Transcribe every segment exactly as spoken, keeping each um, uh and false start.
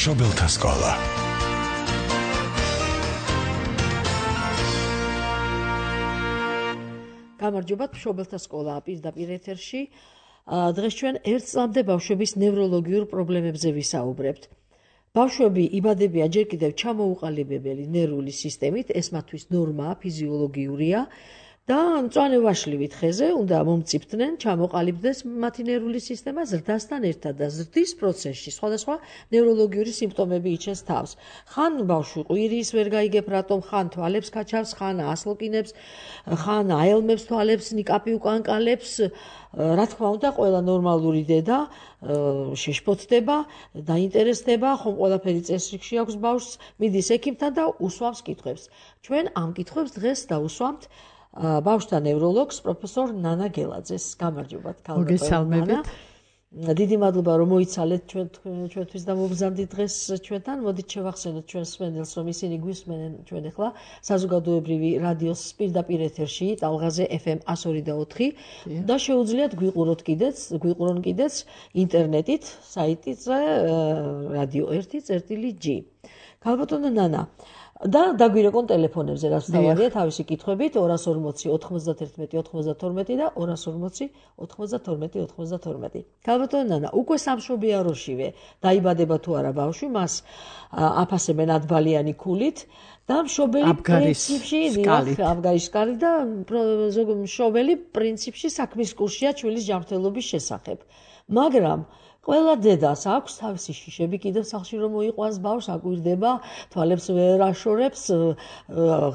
მშობელთა სკოლა. გამარჯობათ, მშობელთა სკოლა პირდაპირ ეთერში. დღეს ჩვენ ერთ წლამდე ბავშვების ნევროლოგიურ პრობლემებზე ვისაუბრებთ. ბავშვები იბადებიან ჯერ კიდევ ჩამოუყალიბებელი ნერვული სისტემით, ეს მათთვის ნორმაა, ფიზიოლოგიურია და მწვანე ვაშლივით ხეზე უნდა მომწიფდნენ, ჩამოყალიბდეს მათი ნერვული სისტემა ზრდასთან ერთად და ზრდის პროცესში სხვადასხვა ნევროლოგიური სიმპტომები იჩენს თავს. ხან ბავშვი ყვირის ვერ გაიგებ რატომ, ხან თვალებს გაჩავს, ხან ასლოკინებს, ხან აელმებს თვალებს, ნიკაპი უკან კალებს. რა თქმა უნდა, ყველა ნორმალური დედა შეშფოთდება, დაინტერესდება, ხომ ყველაფერი წესრიგში აქვს ბავშვს, მიდის ექიმთან და უსვამს კითხვებს. ჩვენ ამ კითხვებს დღეს დავუსვამთ ბავშვთა ნევროლოგს, პროფესორ ნანა გელაძეს. გამარჯობათ, მოგესალმებით. დიდი მადლობა, რომ მოიცალეთ ჩვენთვის და მოგზავნით დღეს ჩვენთან. მოდით შევახსენოთ ჩვენს მსმენელს, რომ ისინი გვისმენენ ჩვენ ახლა საზოგადოებრივი რადიოს პირდაპირ ეთერში, ტალღაზე ეფ ემ εκατო ორი და ოთხი და შეუძლიათ გვიყუროთ კიდეც, გვიყურონ კიდეც ინტერნეტით, საიტზე რადიო ერთი წერტილი ჯი. ქალბატონო ნანა, და დაგვირეკონ ტელეფონებზე, რაც თავარია თავისი კითხვებით ორას ორმოცი ოთხმოცდათერთმეტი ოთხმოცდათორმეტი და ორას ორმოცი ოთხმოცდათორმეტი ოცდათორმეტი. ქალბატონო ნანა, უკვე სამშობიაროშივე დაიბადება თუ არა ბავშვი, მას აფასებენ ათბალიანი ქულით და მშობელი პრინციპში აბგარის სკალით და მშობელი პრინციპში საქმის კურსია ჩვენის ჯანმრთელობის შესახებ. მაგრამ ყველა დედას აქვს თავისი შიშები კიდევ სახლში რომ მოიყვანს ბავშვს, აკვირდება, თვალებს ვერ აშორებს,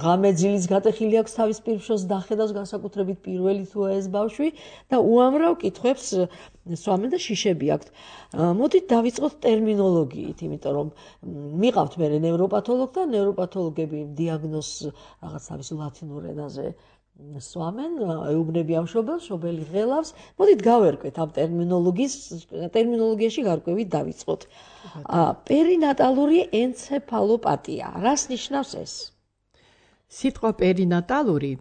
ღამე ძილიც გატეხილი აქვს თავის პირშოს დახედავს, განსაკუთრებით პირველი თუ ეს ბავშვი და უამრავ კითხვებს სვამენ და შიშები აქვთ. მოდით დავიწყოთ ტერმინოლოგიით, იმიტომ რომ მიყავთ მე ნევროპათოლოგი და ნევროპათოლოგები დიაგნოზს რაღაც თავის ლათინურ ენაზე სვამენ, ეუბნებიან მშობელს, მშობელი ღელავს. მოდით გავერკვეთ ამ ტერმინოლოგიის, ტერმინოლოგიაში გარკვევით დავიწყოთ. პერინატალური ენცეფალოპათია. რას ნიშნავს ეს? სიტყვა პერინატალური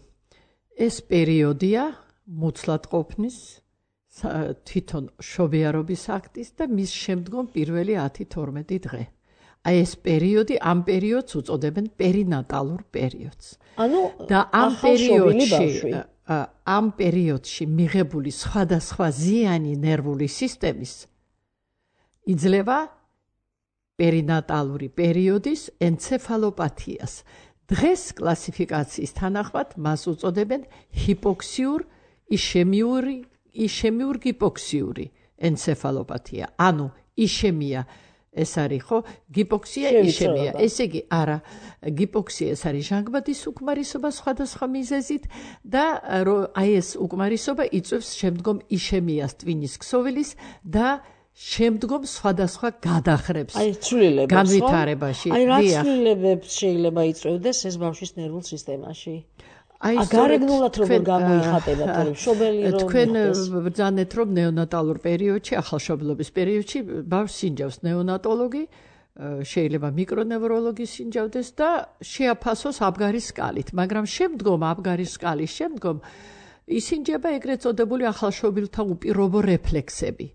ეს პერიოდია მუცლად ყოფნის, თვითონ შობიარობის აქტის და მის შემდგომ პირველი ათი თორმეტი დღე. აი ეს პერიოდი, ამ პერიოდს უწოდებენ პერინატალურ პერიოდს. ანუ და ამ პერიოდში, ამ პერიოდში მიღებული სხვადასხვა ზიანი ნერვული სისტემის იძლევა პერინატალური პერიოდის ენცეფალოპათიას. დღეს კლასიფიკაციის თანახმად მას უწოდებენ ჰიპოქსიურ იშემიური, იშემიურ ჰიპოქსიური ენცეფალოპათია. ანუ იშემია ეს არის ხო? გიპოქსია, იშემია. ესე იგი, არა, გიპოქსია ეს არის ჟანგბადის უკმარისობა სხვადასხვა მიზეზით და აი ეს უკმარისობა იწვევს შემდგომ იშემიას ტვინის ქსოვილის და შემდგომ სხვადასხვა გადახრებს. აი ცვლილებებს განვითარებაში. აი რა ცვლილებებს შეიძლება იწვევდეს ეს ბავშვის ნერვულ სისტემაში? აი გარეგნულად როგორ გამოიხატება თორემ მშობელი რომ თქვენ ბრძანეთ რომ ნეონატალურ პერიოდში, ახალშობილობის პერიოდში ბავშვს სინჯავს ნეონატოლოგი, შეიძლება მიკრონევროლოგი სინჯავდეს და შეაფასოს აბგარის სკალით, მაგრამ შემდგომ აბგარის სკალის შემდგომ ისინჯება ეგრეთ წოდებული ახალშობილთა უპირობო რეფლექსები.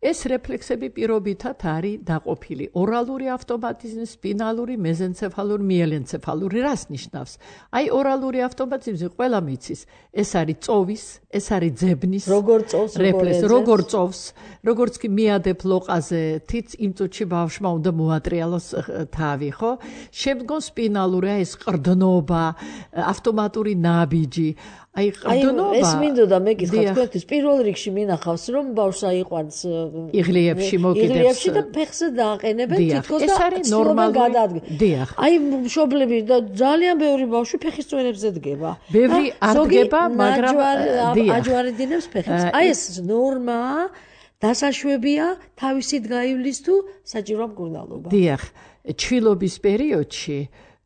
ეს რეფლექსები პირობითად არის დაყოფილი ორალური ავტომატიზმი, სპინალური, მეზენცეფალური, მიელენცეფალური. რას ნიშნავს? აი ორალური ავტომატიზმი ყველა მიცის. ეს არის წოვის, ეს არის ძებნის როგორ წოვს, რეფლექს, როგორ წოვს, როგორც კი მიადებ ლოყაზე, თიც იმ წუთში ბავშვმა უნდა მოატრიალოს თავი, ხო? შემდგომ სპინალური, აი ეს ყრდნობა, ავტომატური ნაბიჯი. აი ყრდნობა ეს მინდოდა მეკითხა თქვენთვის პირველ რიგში მინახავს რომ ბავშვს აიყვანს იღლიებში მოკიდებს იღლიებში და ფეხზე დააყენებენ თითქოს და ნორმალურად გადაადგენ. აი მშობლები და ძალიან ბევრი ბავშვი ფეხის წვერებზე დგება. ბევრი ადგება, მაგრამ აჯვარედინებს ფეხებს. აი ეს ნორმაა, დასაშვებია თავისით გაივლის თუ საჭიროა მკურნალობა. დიახ, ჩვილობის პერიოდში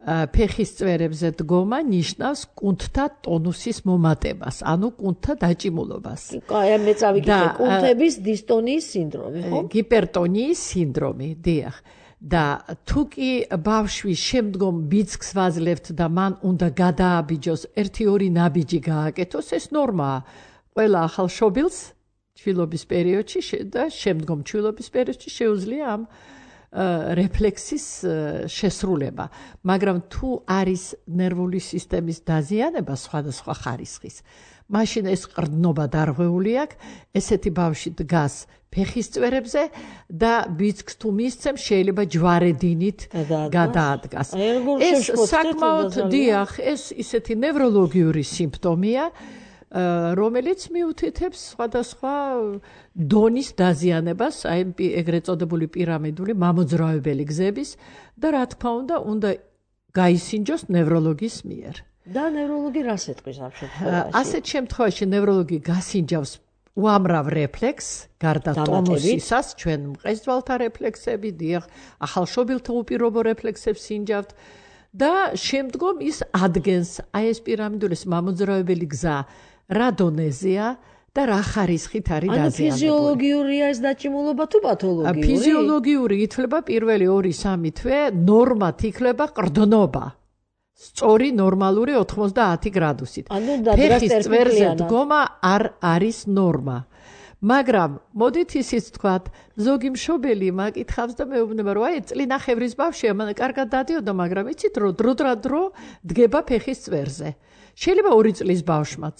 ფეხის წვერებზე დგომა ნიშნავს კუნთთა ტონუსის მომატებას, ანუ კუნთთა დაჭიმულობას. აი მე წავიკითხე კუნთების დისტონიის სინდრომი, ხო? ჰიპერტონიის სინდრომი, დიახ. და თუ კი ბავშვი შემდგომ ბიძგს ვაძლევთ და მან უნდა გადააბიჯოს, ერთი ორი ნაბიჯი გააკეთოს, ეს ნორმაა. ყველა ახალშობილს ჩვილობის პერიოდში და შემდგომ ჩვილობის პერიოდში შეუძლია ამ რეფლექსის შესრულება, მაგრამ თუ არის ნერვული სისტემის დაზიანება სხვადასხვა ხარისხის, მაშინ ეს ყრდნობა დარღვეული აქვს, ესეთი ბავშვი დგას ფეხის წვერებზე და ბიძგს თუ მისცემს, შეიძლება ჯვარედინით გადაადგას. ეს საკმაოდ დიახ, ეს ისეთი ნევროლოგიური სიმპტომია, რომელიც მიუთითებს სხვადასხვა დონის დაზიანებას, აი ეგრეთ წოდებული პირამიდული მამოძრავებელი გზების და რა თქმა უნდა, უნდა გაისინჯოს ნევროლოგის მიერ. და ნევროლოგი რას ეტყვის ამ შემთხვევაში? ასეთ შემთხვევაში ნევროლოგი გასინჯავს უამრავ რეფლექსს, გარდა ტონუსისას, ჩვენ მყესდვალთა რეფლექსები, დიახ, ახალშობილთა უპირობო რეფლექსებს სინჯავთ და შემდგომ ის ადგენს აი ეს პირამიდული მამოძრავებელი გზა რა დონეზეა და რა ხარისხით არის დაზიანებული. ანუ ფიზიოლოგიურია ეს დაჭიმულობა თუ პათოლოგიური? ფიზიოლოგიური ითვლება პირველი ორი სამი თვე, ნორმად იქნება ყრდნობა. სწორი ნორმალური ოთხმოცდაათი გრადუსით. ფეხის წვერზე დგომა არ არის ნორმა. მაგრამ მოდით ისიც თქვათ, ზოგი მშობელი მაკითხავს და მეუბნება, რომ აი წლინახევრის ბავშვია, მან კარგად დადიოდა, მაგრამ იცით რომ დრო დრო დრო დგება ფეხის წვერზე. შეიძლება ორი წლის ბავშვმაც.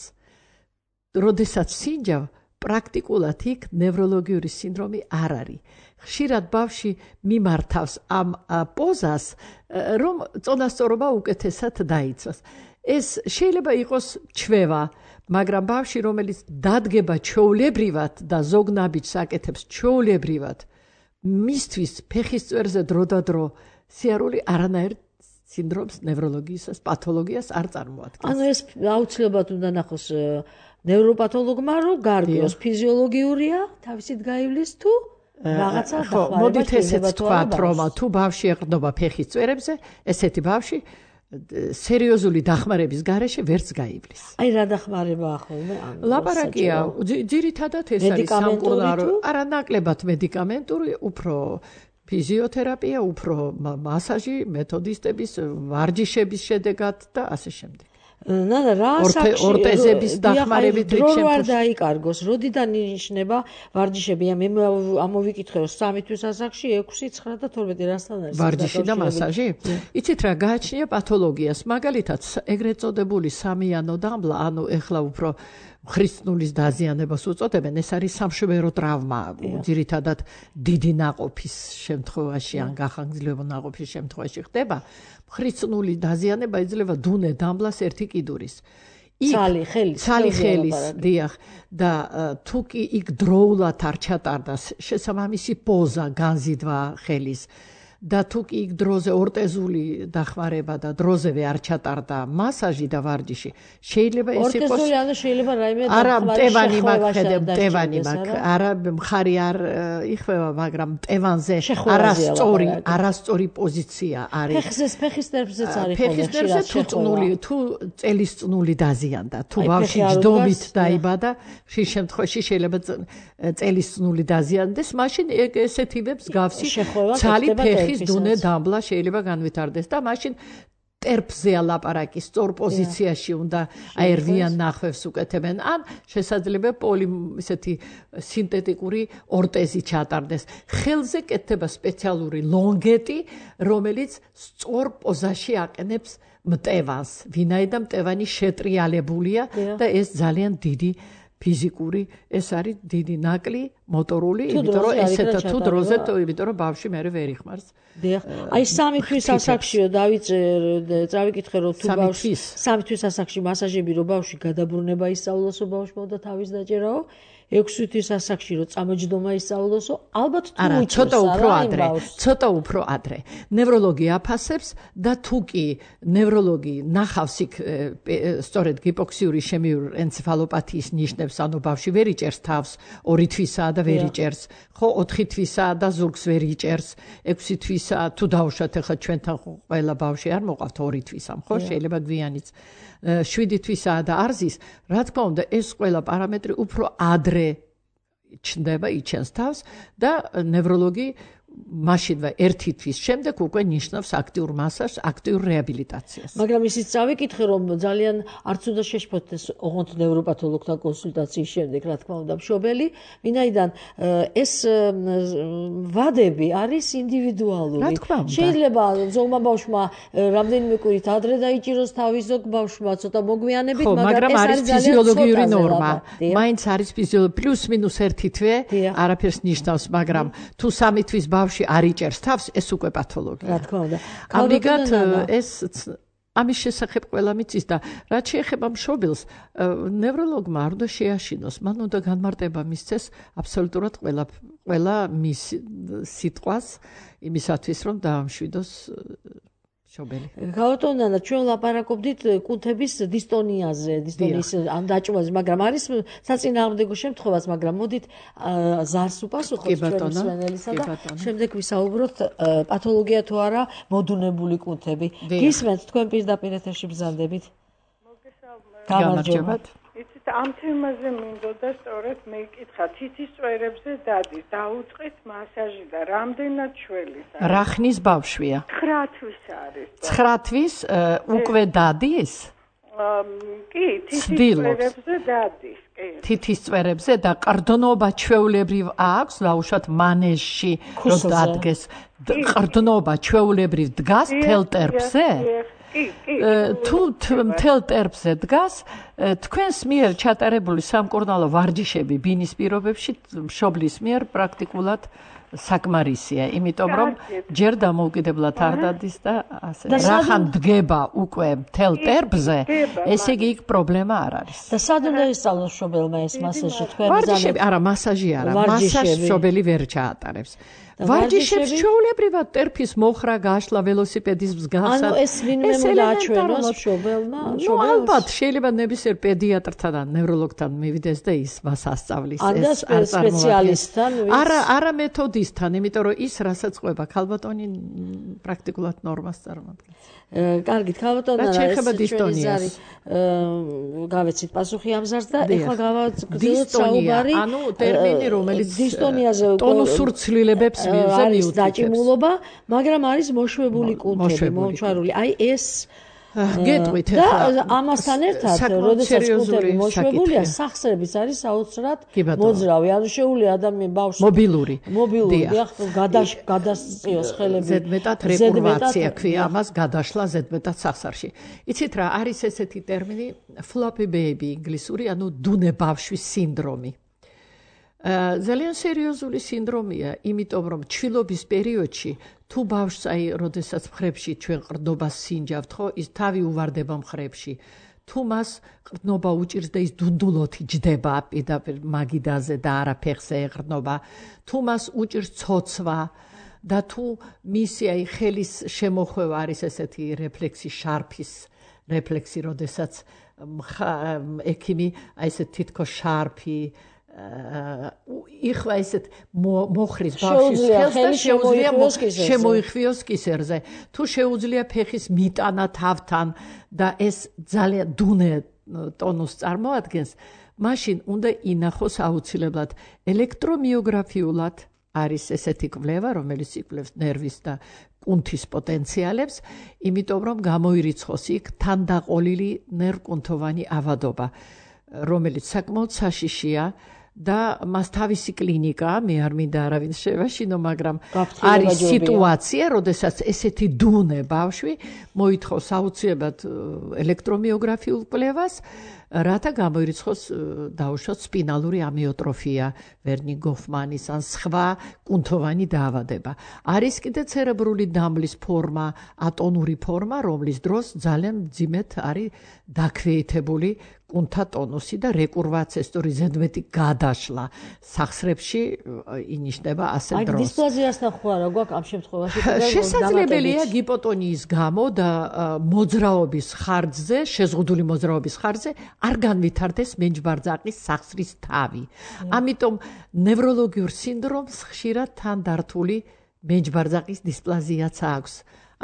როდესაც სინჯავ, პრაქტიკულად იქ ნევროლოგიური სინდრომი არ არის. ხშირად ბავშვი მიმართავს ამ პოზას, რომ წონასწორობა უკეთესად დაიცვას. ეს შეიძლება იყოს ჩვევა, მაგრამ ბავშვი, რომელიც დადგება ჩვეულებრივად და ზოგ ნაბიჯს აკეთებს ჩვეულებრივად, მისთვის ფეხის წვერზე დრო და დრო სიარული არანაირ სინდრომს, ნევროლოგიისას, პათოლოგიას არ წარმოადგენს. ანუ ეს აუცილებლად უნდა ნახოს ნევროპათოლოგმა, რომ გარკვეულს ფიზიოლოგიურია, თავისით გაივლის თუ რაღაცა დახმარება. მოდით ესეც თქვათ, რომ თუ ბავშვი ეყრდნობა ფეხის წვერებზე, ესეთი ბავშვი სერიოზული დახმარების გარეშე ვერც გაივლის. აი რა დახმარება ახლა? ლაპარაკია, ძირითადად ეს არის სამკურნალო, არა ნაკლებად მედიკამენტური, უფრო ფიზიოთერაპია, უფრო მასაჟი, მეთოდისტების, ვარჯიშების შედეგად და ასე შემდეგ. ნანა რა საკში ორტეზების დახმარებით დრო არ დაიკარგოს, როდიდან ინიშნება ვარჯიშები? მე ამოვიკითხე რომ სამი თვის ასაკში ექვსი, ცხრა და თორმეტი რასთან არის ვარჯიში და მასაჟი? იცით რა გააჩნია პათოლოგიას, მაგალითად ეგრეთ წოდებული სამიანო დამბლა, ანუ ეხლა უფრო ხრისწნულის დაზიანებას უწოდებენ, ეს არის სამშვერო ტრავმა, ძირითადად დიდი ნაყოფის შემთხვევაში ან გახანგრძლივი ნაყოფის შემთხვევაში ხდება. ხრისწნული დაზიანება იძლევა დუნე დამბლას ერთი კიდურის. ცალი ხელის, ცალი ხელის, დიახ, და თუ კი იქ დროულად არ ჩატარდა შესაბამისი პოზა, განზიდვა ხელის და თუ კი იქ დროზე ორტეზული დახმარება და დროზევე არ ჩატარდა მასაჟი და ვარჯიში, შეიძლება ეს იყოს ორტეზული, ანუ შეიძლება რაიმე არა მტევანი მაქვს, ხედავ მტევანი მაქვს, არა მხარი არ იხვევა, მაგრამ მტევანზე არასწორი, არასწორი პოზიცია არის. ფეხზე, ფეხის ნერვზეც არის. ფეხის ნერვზე თუ წნული, თუ წელის წნული დაზიანდა, თუ ბავშვი ჯდომით დაიბადა, ხშირ შემთხვევაში შეიძლება წელის წნული დაზიანდეს, მაშინ ესეთივებს გავსი ცალი ფეხი დუნე დამბლა შეიძლება განვითარდეს და მაშინ ტერფზეა ლაპარაკი, სწორ პოზიციაში უნდა აერვიან ნახვევს უკეთებენ, ან შესაძლებელი პოლი ესეთი სინთეტიკური ორტეზი ჩატარდეს. ხელზე კეთდება სპეციალური ლონგეტი, რომელიც სწორ პოზაში აყენებს მტევანს, ვინაიდან მტევანი შეტრიალებულია და ეს ძალიან დიდი ფიზიკური, ეს არის დიდი ნაკლი, მოტორული, იმიტომ რომ ესეთა თუ დროზე, იმიტომ რომ ბავშვი მე ვერ იხმარს. დიახ. აი სამი თვის ასაკშიო დავიწერ, წავიკითხე რომ თუ ბავშვი სამი თვის ასაკში მასაჟები რომ ბავშვი გადაბრუნება ისწავლოსო ბავშვმა და თავის დაჭერაო, ექვსი თვის ასაკში რომ წამოჯდომა ისწავლოსო, ალბათ თუ არა, ცოტა უფრო ადრე, ცოტა უფრო ადრე. ნევროლოგი აფასებს და თუ კი ნევროლოგი ნახავს იქ სწორედ გიპოქსიური შემიური ენცეფალოპათიის ნიშნებს, ანუ ბავშვი ვერ იჭერს თავს, ორი თვისაა და ვერ იჭერს, ხო, ოთხი თვისაა და ზურგს ვერ იჭერს, ექვსი თვისაა, თუ დავუშვათ ახლა ჩვენთან ყველა ბავშვი არ მოყავთ ორი თვისამ, ხო, შეიძლება გვიანიც შვიდი თვისაა და არზის, რა თქმა უნდა, ეს ყველა პარამეტრი უფრო ადრე ჩნდება, იჩენს თავს და ნევროლოგი მაშინვე ერთი თვის შემდეგ უკვე ნიშნავს აქტიურ მასაჟს, აქტიურ რეაბილიტაციას. მაგრამ ისიც წავიკითხე, რომ ძალიან არც უნდა შეშფოთდეს ოღონდ ნევროპათოლოგთან კონსულტაციის შემდეგ, რა თქმა უნდა, მშობელი, ვინაიდან ეს ვადები არის ინდივიდუალური. შეიძლება ზოგმა ბავშვმა რამდენიმე კვირით ადრე დაიჭიროს თავი, ზოგ ბავშვმა ცოტა მოგვიანებით, მაგრამ ეს არის ფიზიოლოგიური ნორმა. მაინც არის ფიზიოლოგიური პლუს მინუს ერთი თვე, არაფერს ნიშნავს, მაგრამ თუ სამი თვის ბავშვი არ იჭერს თავს, ეს უკვე პათოლოგია. რა თქმა უნდა. ამიგად ეს ამის შესახებ ყველა მიცის და რაც შეეხება მშობელს, ნევროლოგმა არ უნდა შეაშინოს, მან უნდა განმარტება მისცეს აბსოლუტურად ყველა ყველა მის სიტყვას იმისათვის, რომ დაამშვიდოს მშობელი. გავატონანა, ჩვენ ლაპარაკობდით კუნთების დისტონიაზე, დისტონიის ან დაჭმაზე, მაგრამ არის საწინააღმდეგო შემთხვევაც, მაგრამ მოდით ზარს უპასუხოთ ჩვენი მსმენელისა და შემდეგ ვისაუბროთ პათოლოგია თუ არა მოდუნებული კუნთები. გისმენთ თქვენ პირდაპირ ეთერში ბრძანდებით. გამარჯობა. იცით, ამ თემაზე მინდოდა სწორედ მე ვკითხა თითის წვერებზე დადის, დაუწყით მასაჟი და რამდენად ჩველის არის? რა ხნის ბავშვია? ცხრა თვის არის. ცხრა თვის უკვე დადის? კი, თითის წვერებზე დადის, კი. თითის წვერებზე და ყრდნობა ჩვეულებრივ აქვს, ლაუშად მანეჟში რომ დადგეს. ყრდნობა ჩვეულებრივ დგას თელ ტერფზე? თუ მთელ ტერფზე დგას, თქვენს მიერ ჩატარებული სამკურნალო ვარჯიშები ბინის პირობებში მშობლის მიერ პრაქტიკულად საკმარისია, იმიტომ რომ ჯერ დამოუკიდებლად არ დადის და ასე. რახან დგება უკვე მთელ ტერფზე, ესე იგი იქ პრობლემა არ არის. და სად უნდა ისწავლოს მშობელმა ეს მასაჟი? თქვენ ვარჯიშები, არა, მასაჟი არა, მასაჟს მშობელი ვერ ჩაატარებს. ვარჯიშებს ჩვეულებრივად ტერფის მოხრა, გაშლა, ველოსიპედის მსგავსად. ანუ ეს ვინმე უნდა აჩვენოს მშობელმა? ნუ ალბათ შეიძლება ნებისმიერ პედიატრთან და ნევროლოგთან მივიდეს და ის მას ასწავლის ეს არ სპეციალისტთან. არა, არა მეთოდისტთან, იმიტომ რომ ის რასაც ყვება ქალბატონი პრაქტიკულად ნორმას წარმოადგენს. კარგით, ქალბატონო, ეს არის გავეცით პასუხი ამ ზარს და ეხლა გავაგრძელოთ საუბარი. ანუ ტერმინი, რომელიც დისტონიაზე ტონუსურ ცვლილებებს არის დაჭიმულობა, მაგრამ არის მოშვებული კუნთები, მომჩვარული. აი ეს გეტყვით ახლა. და ამასთან ერთად, როდესაც კუნთები მოშვებულია, სახსრებიც არის საოცრად მოძრავი. ანუ შეუძლია ადამიან ბავშვს მობილური. მობილური, გადასწიოს ხელები. ზედმეტად რეკურვაცია ქვია ამას, გადაშლა ზედმეტად სახსარში. იცით რა, არის ესეთი ტერმინი floppy baby ინგლისური, ანუ დუნე ბავშვის სინდრომი. ძალიან სერიოზული სინდრომია, იმიტომ რომ ჩვილობის პერიოდში თუ ბავშვს აი, როდესაც მხრებში ჩვენ ყრდნობას სინჯავთ, ხო, ის თავი უვარდება მხრებში. თუ მას ყრდნობა უჭირს და ის დუნდულოთი ჯდება პირდაპირ მაგიდაზე და არა ფეხზე ეყრდნობა, თუ მას უჭირს ცოცვა და თუ მისი აი ხელის შემოხვევა არის ესეთი რეფლექსი, შარფის რეფლექსი, როდესაც ექიმი აი ესე თითქოს შარფი იხვა ესეთ მოხრის ბავშვის ხელს და შეუძლია შემოიხვიოს კისერზე. თუ შეუძლია ფეხის მიტანა თავთან და ეს ძალიან დუნე ტონუსს წარმოადგენს, მაშინ უნდა ინახოს აუცილებლად ელექტრომიოგრაფიულად არის ესეთი კვლევა, რომელიც იკვლევს ნერვის და კუნთის პოტენციალებს, იმიტომ რომ გამოირიცხოს იქ თანდაყოლილი ნერვკუნთოვანი ავადობა, რომელიც საკმაოდ საშიშია და მას თავისი კლინიკა, მე არ მინდა არავინ შევაშინო, მაგრამ არის სიტუაცია, როდესაც ესეთი დუნე ბავშვი მოითხოვს აუცილებლად ელექტრომიოგრაფიულ კვლევას, რათა გამოირიცხოს დაუშვათ სპინალური ამიოტროფია, ვერნი გოფმანის ან სხვა კუნთოვანი დაავადება. არის კიდე ცერებრული დამბლის ფორმა, ატონური ფორმა, რომლის დროს ძალიან მძიმედ არის დაქვეითებული კუნთა ტონუსი და რეკურვაცია, სწორი ზედმეტი გადაშლა სახსრებში ინიშნება ასე დროს. აი დისპლაზიასთან ხო არა გვაქვს ამ შემთხვევაში? შესაძლებელია გიპოტონიის გამო და მოძრაობის ხარჯზე, შეზღუდული მოძრაობის ხარჯზე არ განვითარდეს მენჯბარძაყის სახსრის თავი. ამიტომ ნევროლოგიურ სინდრომს ხშირად თან დართული მენჯბარძაყის დისპლაზიაც აქვს.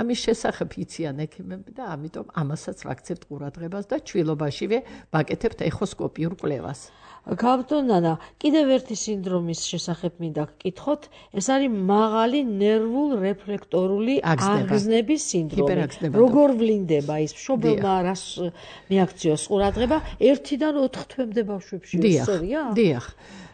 ამის შესახებ იციან ექიმები და ამიტომ ამასაც ვაქცევთ ყურადღებას და ჩვილობაშივე ვაკეთებთ ეხოსკოპიურ კვლევას. გაბტონანა, კიდევ ერთი სინდრომის შესახებ მინდა გკითხოთ, ეს არის მაღალი ნერვულ რეფლექტორული აღგზნების სინდრომი. როგორ ვლინდება ის მშობელმა რას მიაქციოს ყურადღება ერთიდან ოთხ თვემდე ბავშვებში ისწორია? დიახ.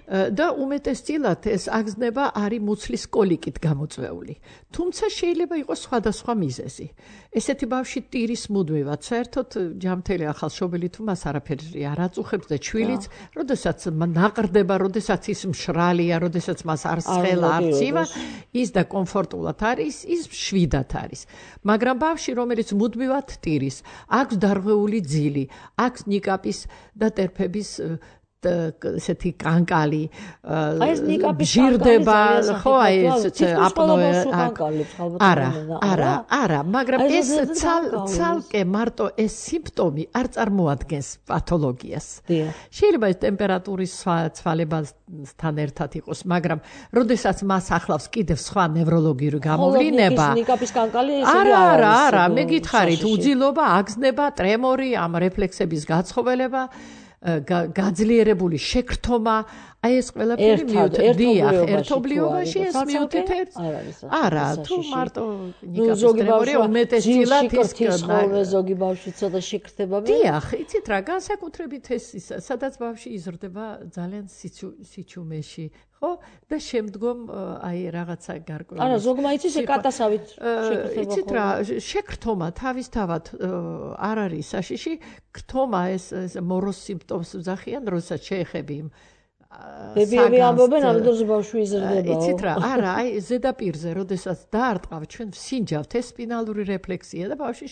და უმეტესწილად ეს აგზნება არის მუცლის კოლიკით გამოწვეული. თუმცა შეიძლება იყოს სხვადასხვა მიზეზი. ესეთი ბავშვი ტირის მუდმივად, საერთოდ ჯამთელი ახალშობილი თუ მას არაფერი არ აწუხებს და ჩვილიც, როდესაც ნაყრდება, როდესაც ის მშრალია, როდესაც მას არ სხელა, არ ცივა, ის და კომფორტულად არის, ის შვიდად არის. მაგრამ ბავშვი, რომელიც მუდმივად ტირის, აქვს დარღვეული ძილი, აქვს ნიკაპის და ტერფების ესეთი კანკალი ჟირდება ხო აი ეს აპნოე არა არა არა მაგრამ ეს ცალკე მარტო ეს სიმპტომი არ წარმოადგენს პათოლოგიას შეიძლება ეს ტემპერატურის ცვალებასთან ერთად იყოს მაგრამ როდესაც მას ახლავს კიდევ სხვა ნევროლოგიური გამოვლინება ნიკაპის კანკალი არა არა არა მე გითხარით უძილობა აგზნება ტრემორი ამ რეფლექსების გაცხოველება გაძლიერებული შეკრთომა აი ეს ყველაფერი მიუთითია ერთობლიობაში ეს მიუთითებს არა თუ მარტო ნიკაპის ტრემორი უმეტესწილად ის ხოლმე ზოგი ბავშვი ცოტა შეკრთება დიახ იცით რა განსაკუთრებით ეს სადაც ბავშვი იზრდება ძალიან სიჩუმეში ხო და შემდგომ აი რაღაცა გარკვეული არა ზოგმა იცის კატასავით შეკრთება იცით რა შეკრთომა თავისთავად არ არის საშიში ქრთომა ეს მოროს სიმპტომს ვძახიან როდესაც შეეხები იმ ბებიები ამბობენ ამ დროს ბავშვი იზრდება იცით რა არა აი ზედაპირზე როდესაც დაარტყავ ჩვენ ვსინჯავთ ეს სპინალური რეფლექსია და ბავშვი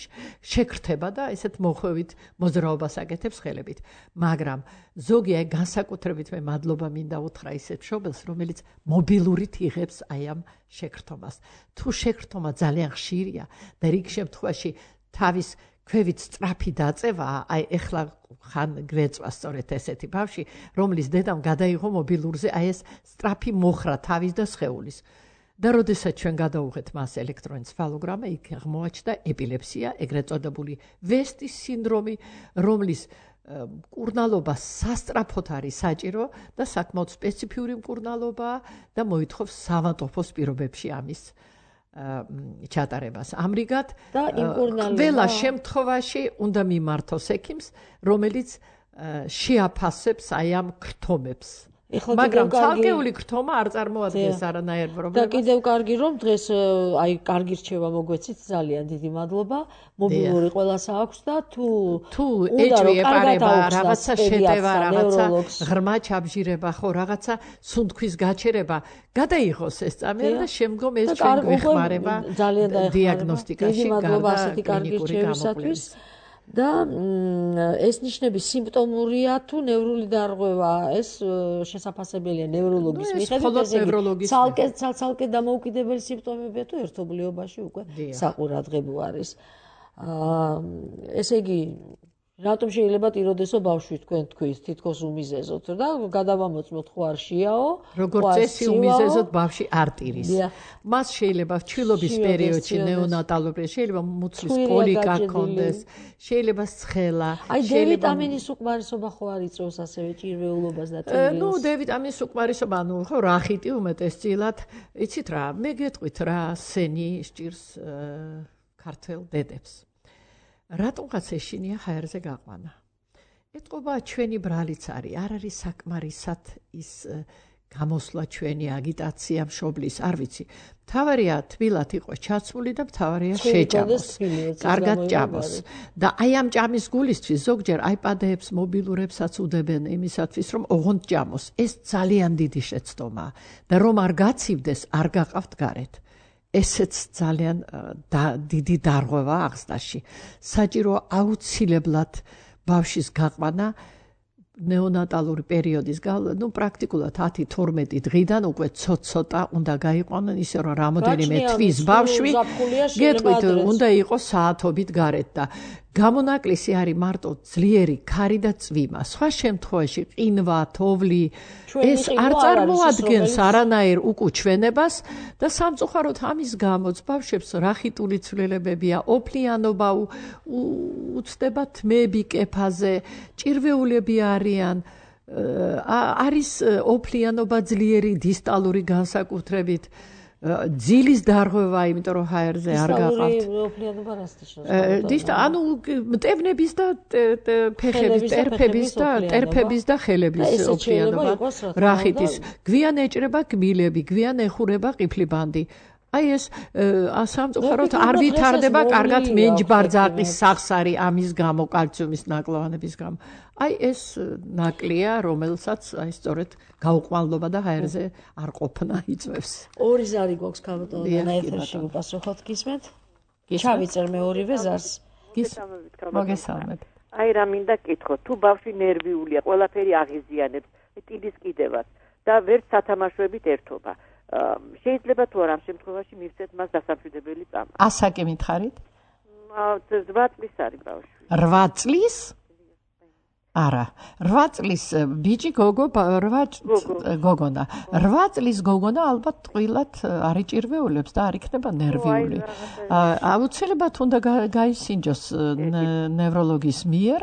შეკრთება და ესეთ მოხვევით მოძრაობას აკეთებს ხელებით მაგრამ ზოგი აი განსაკუთრებით მე მადლობა მინდა უთხრა ისეთ მშობელს რომელიც მობილურით იღებს აი ამ შეკრთომას თუ შეკრთომა ძალიან ხშირია და რიგ შემთხვევაში თავის ქვევით სწრაფი დაწევა აი ეხლა ხან გვეწვა სწორედ ესეთი ბავშვი რომლის დედამ გადაიღო მობილურზე აი ეს სწრაფი მოხრა თავის და სხეულის და როდესაც ჩვენ გადავუღეთ მას ელექტროენცეფალოგრამა იქ აღმოაჩნდა ეპილეფსია ეგრეთ წოდებული ვესტის სინდრომი რომლის მკურნალობა სასწრაფოდ არის საჭირო და საკმაოდ სპეციფიური მკურნალობაა და მოითხოვს სამავთობოს პირობებში ამის ჩატარებას. ამრიგად ყველა შემთხვევაში უნდა მიმართოს ექიმს, რომელიც შეაფასებს აი ამ ქრთომებს. მაგრამ ცალკეული ქრთომა არ წარმოადგენს არანაირ პრობლემას. და კიდევ კარგი რომ დღეს აი კარგი რჩევა მოგვეცით ძალიან დიდი მადლობა. მობილური ყველას აქვს და თუ თუ ეჭვი ეპარება რაღაცა შეტევა, რაღაცა ღრმა ჩაბჟირება, ხო, რაღაცა სუნთქვის გაჩერება, გადაიღოს ეს წამი და შემდგომ ეს ჩვენ გვეხმარება დიაგნოსტიკაში გარდა კლინიკური გამოკვლევის. და ეს ნიშნები სიმპტომურია თუ ნევრული დარღვევა ეს შესაძლებელია ნევროლოგის მიხედვით ცალკე ცალკე დამოუკიდებელი სიმპტომებია თუ ერთობლიობაში უკვე საყურადღებო არის ესე იგი რატომ შეიძლება ტიროდესო ბავშვი თქვენ თქვით თითქოს უმიზეზოთ და გადავამოწმოთ ხო არ შეაო როგორც წესი უმიზეზოთ ბავშვი არ ტირის მას შეიძლება ჩვილობის პერიოდში ნეონატალურ შეიძლება მუცლის კოლიკა ჰქონდეს შეიძლება სხელა აი დ ვიტამინის უკმარისობა ხო არ იწვევს ასევე ჭირვეულობას და ტენს ნუ დ ვიტამინის უკმარისობა ნუ ხო რახიტი უმეტესწილად იცით რა მე გეტყვით რა სენი სჭირს ქართველ დედებს რატომღაც ეშინია ჰაერზე გაყვანა. ეთყობა ჩვენი ბრალიც არის, არ არის საკმარისად ის გამოსვლა ჩვენი აგიტაცია მშობლის, არ ვიცი. მთავარია თბილად იყოს ჩაცმული და მთავარია შეჭამოს. კარგად ჭამოს. და აი ამ ჭამის გულისთვის ზოგჯერ აიპადებს, მობილურებსაც უდებენ იმისათვის, რომ ოღონდ ჭამოს. ეს ძალიან დიდი შეცდომაა და რომ არ გაცივდეს, არ გაყავთ გარეთ. ესეც ძალიან დიდი დარღვევა აღზრდაში. საჭირო აუცილებლად ბავშვის გაყვანა ნეონატალური პერიოდის ნუ პრაქტიკულად ათი თორმეტი დღიდან უკვე ცოტ-ცოტა უნდა გაიყვანონ ისე რომ რამოდენიმე თვის ბავშვი გეტყვით უნდა იყოს საათობით გარეთ და გამონაკლისი არის მარტო ძლიერი ქარი და წვიმა. სხვა შემთხვევაში ყინვა, თოვლი ეს არ წარმოადგენს არანაირ უკუჩვენებას და სამწუხაროდ ამის გამოც ბავშვებს რახიტული ცვლილებებია, ოფლიანობა უცდება თმები კეფაზე, ჭირვეულები არიან, არის ოფლიანობა ძლიერი დისტალური განსაკუთრებით. ძილის დარღვევა, იმიტომ რომ ჰაერზე არ გაყავთ. დისტალური ოფლიანობა რას ნიშნავს? დისტა, ანუ მტევნების და ფეხების, ტერფების და ტერფების და ხელების ოფლიანობა. რახითის. გვიან ეჭრება კბილები, გვიან ეხურება ყიფლიბანდი. აი ეს სამწუხაროდ არ ვითარდება კარგად მენჯბარძაყის სახსარი ამის გამო, კალციუმის ნაკლოვანების გამო. აი ეს ნაკლია, რომელსაც აი სწორედ გაუყმალობა და ჰაერზე არ ყოფნა იწვევს. ორი ზარი გვაქვს ქალბატონო ეთერში უპასუხოთ გისმენთ? ჩავიწერ მეორივე ზარს. მოგესალმებით. აი რა მინდა კითხო, თუ ბავშვი ნერვიულია, ყველაფერი აღიზიანებს, ტილის კიდევაც და ვერც სათამაშოებით ერთობა. შეიძლება თუ არა ამ შემთხვევაში მივცეთ მას დასამშვიდებელი წამა. ასაკი მითხარით? რვა წლის არის ბავშვი. რვა წლის? არა, რვა წლის ბიჭი გოგო რვა გოგონა. რვა წლის გოგონა ალბათ ტყილად არ იჭირვეულებს და არ იქნება ნერვიული. აუცილებლად უნდა გაისინჯოს ნევროლოგის მიერ.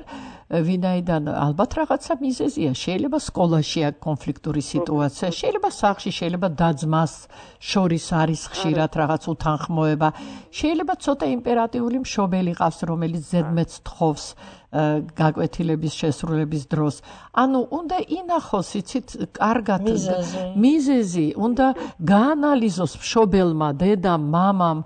ვინაიდან ალბათ რაღაცა მიზეზია, შეიძლება სკოლაშია კონფლიქტური სიტუაცია, შეიძლება სახლში, შეიძლება და-ძმას შორის არის ხშირად რაღაც უთანხმოება, შეიძლება ცოტა იმპერატიული მშობელი ყავს, რომელიც ზედმეტს თხოვს გაკვეთილების შესრულების დროს. ანუ უნდა ინახოს, იცით, კარგად მიზეზი, უნდა გაანალიზოს მშობელმა, დედამ, მამამ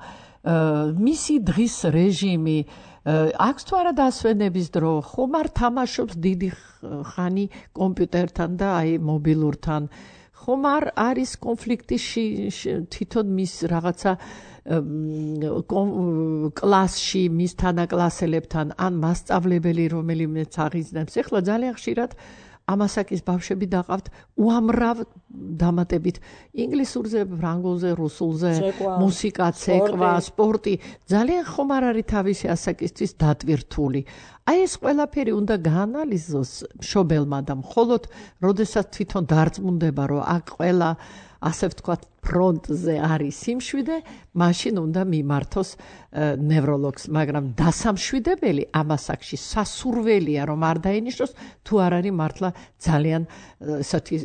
მისი დღის რეჟიმი. აქვს თუ არა დასვენების დრო, ხომ არ თამაშობს დიდი ხანი კომპიუტერთან და აი მობილურთან, ხომ არ არის კონფლიქტი თვითონ მის რაღაცა კლასში მის თანაკლასელებთან, ან მასწავლებელი რომელიმეც აღიზნებს. ეხლა ძალიან ხშირად ამასაკის ბავშვები დაყავთ უამრავ დამატებით ინგლისურზე, ფრანგულზე, რუსულზე, მუსიკა, ცეკვა, სპორტი. ძალიან ხომ არ არის თავისი ასაკისთვის დატვირთული. აი ეს ყველაფერი უნდა გაანალიზოს მშობელმა და მხოლოდ როდესაც თვითონ დარწმუნდება, რომ აქ ყველა ასე ვთქვათ ფრონტზე არის სიმშვიდე, მაშინ უნდა მიმართოს ნევროლოგს, მაგრამ დასამშვიდებელი ამასაკში სასურველია, რომ არ დაინიშნოს, თუ არ არის მართლა ძალიან ესეთი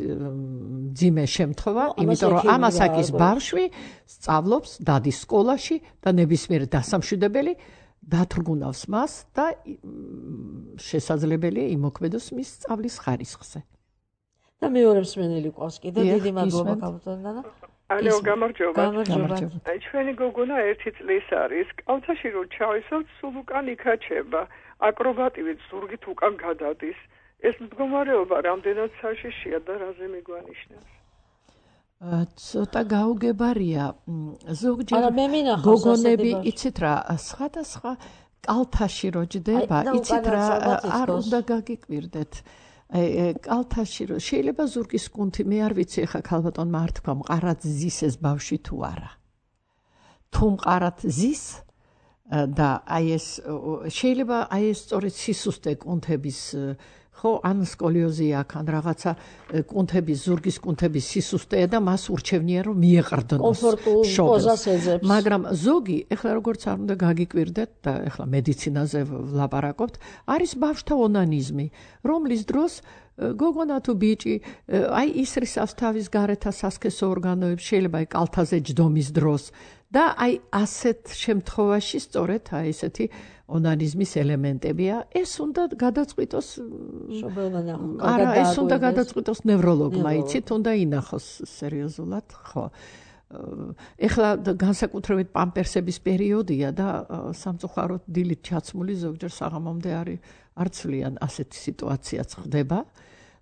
ძიმე შემთხვევა, იმიტომ რომ ამასაკის ბავშვი სწავლობს, დადის სკოლაში და ნებისმიერ დასამშვიდებელი დათრგუნავს მას და შესაძლებელია იმოქმედოს მის სწავლის ხარისხზე. და მეორე მსმენელი ყავს კიდე, დიდი მადლობა ქალბატონო. ალო, გამარჯობა. აი ჩვენი გოგონა ერთი წლის არის. კალთაში რო ჩავისვათ, სულ უკან იქაჩება. აკრობატივით ზურგით უკან გადადის. ეს მდგომარეობა რამდენად საშიშია და რაზე მიგვანიშნებს? ცოტა გაუგებარია. ზოგჯერ გოგონები, იცით რა, სხვადასხვა კალთაში რო ჯდება, იცით რა, არ უნდა გაგიკვირდეთ. კალთაში რო შეიძლება ზურგის კუნთი, მე არ ვიცი ხა ქალბატონმა არ თქვა მყარად ზის ეს ბავშვი თუ არა. თუ მყარად ზის და აი ეს შეიძლება აი ეს სწორედ სისუსტე კუნთების ხო ან სკოლიოზი აქვს ან რაღაცა კუნთების ზურგის კუნთების სისუსტეა და მას ურჩევნია რომ მიეყრდნოს პოზას ეძებს. მაგრამ ზოგი ეხლა როგორც არ უნდა გაგიკვირდეთ და ეხლა მედიცინაზე ვლაპარაკობთ, არის ბავშვთა ონანიზმი, რომლის დროს გოგონა თუ ბიჭი აი ისრისავს თავის გარეთა სასქესო ორგანოებს, შეიძლება აი კალთაზე ჯდომის დროს და აი ასეთ შემთხვევაში სწორედ აი ესეთი ონანიზმის ელემენტებია, ეს უნდა გადაწყვიტოს არა, ეს უნდა გადაწყვიტოს ნევროლოგმა, იცით, უნდა ინახოს სერიოზულად, ხო. ეხლა განსაკუთრებით პამპერსების პერიოდია და სამწუხაროდ დილით ჩაცმული ზოგჯერ საღამომდე არის არ ცვლიან ასეთი სიტუაციაც ხდება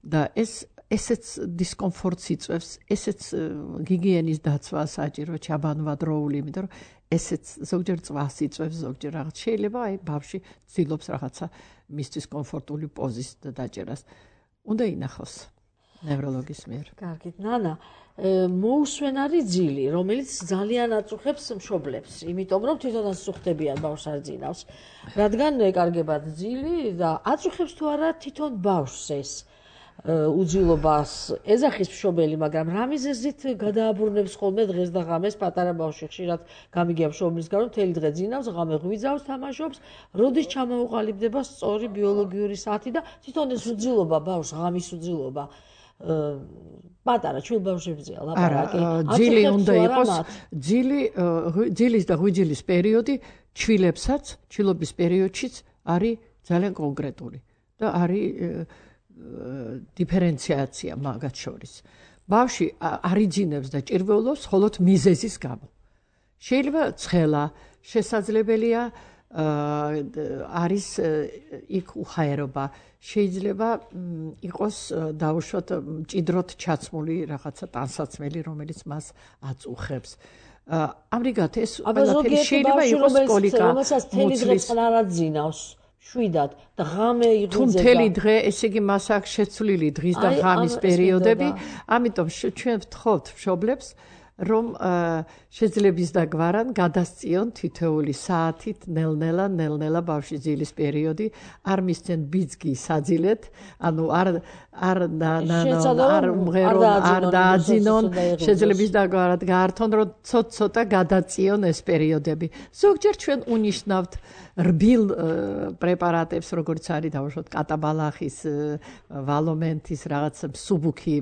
და ეს ესეც დისკომფორტს იწვევს, ესეც გიგიენის დაცვა საჭირო, ჩაბანვა დროული, იმიტომ რომ ესეც ზოგჯერ წვას იწვევს, ზოგჯერ რაღაც შეიძლება აი ბავშვი ცდილობს რაღაცა მისთვის კომფორტული პოზის დაჭერას. უნდა ინახოს. ნევროლოგის მიერ. კარგით, ნანა, მოусვენარი ძილი, რომელიც ძალიან აწუხებს მშობლებს, იმიტომ რომ თვითონაც წუხდებიან ბავშვს არ ძინავს. რადგან ეკარგებათ ძილი და აწუხებს თუ არა თვითონ ბავშვს ეს უძილობას ეძახის მშობელი, მაგრამ რა მიზეზით გადააბრუნებს ხოლმე დღეს და ღამეს პატარა ბავშვი ხშირად გამიგია მშობლის გამო მთელი დღე ძინავს, ღამე ღვიძავს, თამაშობს, როდის ჩამოუყალიბდება სწორი ბიოლოგიური საათი და თვითონ ეს უძილობა ბავშვს, ღამის უძილობა პატარა ჩვილ ბავშვებზეა ლაპარაკი. ძილი უნდა იყოს, ძილი, ძილის და ღვიძილის პერიოდი ჩვილებსაც, ჩვილობის პერიოდშიც არის ძალიან კონკრეტული და არის დიფერენციაცია მაგათ შორის. ბავშვი არ იძინებს და ჭირვეულობს მხოლოდ მიზეზის გამო. შეიძლება ცხელა, შესაძლებელია არის იქ უხაერობა, შეიძლება იყოს დაუშვათ მჭიდროდ ჩაცმული რაღაცა ტანსაცმელი, რომელიც მას აწუხებს. ამრიგად ეს ყველაფერი შეიძლება იყოს კოლიკა, რომელსაც თელი დღე წყნარ არ ძინავს. შვიდად და ღამე იღუძება. თუ მთელი დღე, ესე იგი მას აქვს შეცვლილი დღის და ღამის პერიოდები, ამიტომ ჩვენ ვთხოვთ მშობლებს, რომ შეძლებს და გვარან გადასწიონ თითოეული საათით ნელ-ნელა, ნელ-ნელა ბავშვის ძილის პერიოდი, არ მისცენ ბიძგი საძილეთ, ანუ არ არ არ უმღერონ, არ დააძინონ, შეძლებს და გვარად გაართონ, რომ ცოტ-ცოტა გადაწიონ ეს პერიოდები. ზოგჯერ ჩვენ უნიშნავთ რბილ პრეპარატებს, როგორც არის დავუშვათ კატაბალახის, ვალომენტის, რაღაც მსუბუქი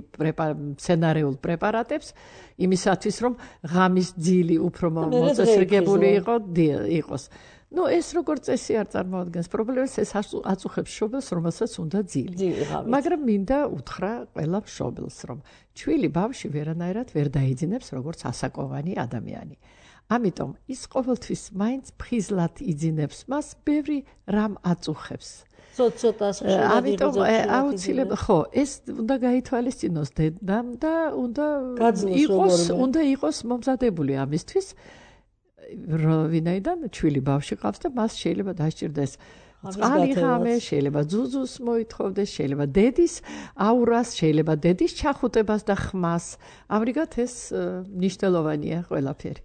სცენარეულ პრეპარატებს, იმისათვის რომ ღამის ძილი უფრო მოწესრიგებული იყოს. ნუ ეს როგორც წესი არ წარმოადგენს პრობლემას, ეს აწუხებს მშობელს, რომელსაც უნდა ძილი. მაგრამ მინდა უთხრა ყველა მშობელს, რომ ჩვილი ბავშვი ვერანაირად ვერ დაიძინებს როგორც ასაკოვანი ადამიანი. ამიტომ ის ყოველთვის მაინც ფხიზლად იძინებს მას, ბევრი რამ აწუხებს. ცოტ-ცოტას ამიტომ აუცილებლად ხო, ეს უნდა გაითვალისწინოს დედამ და უნდა იყოს, უნდა იყოს მომზადებული ამისთვის, ვინაიდან ჩვილი ბავშვი ყავს და მას შეიძლება დასჭირდეს წყალი ღამე, შეიძლება ძუძუს მოითხოვდეს, შეიძლება დედის აურას, შეიძლება დედის ჩახუტებას და ხმას. ამრიგად ეს მნიშვნელოვანია ყველაფერი.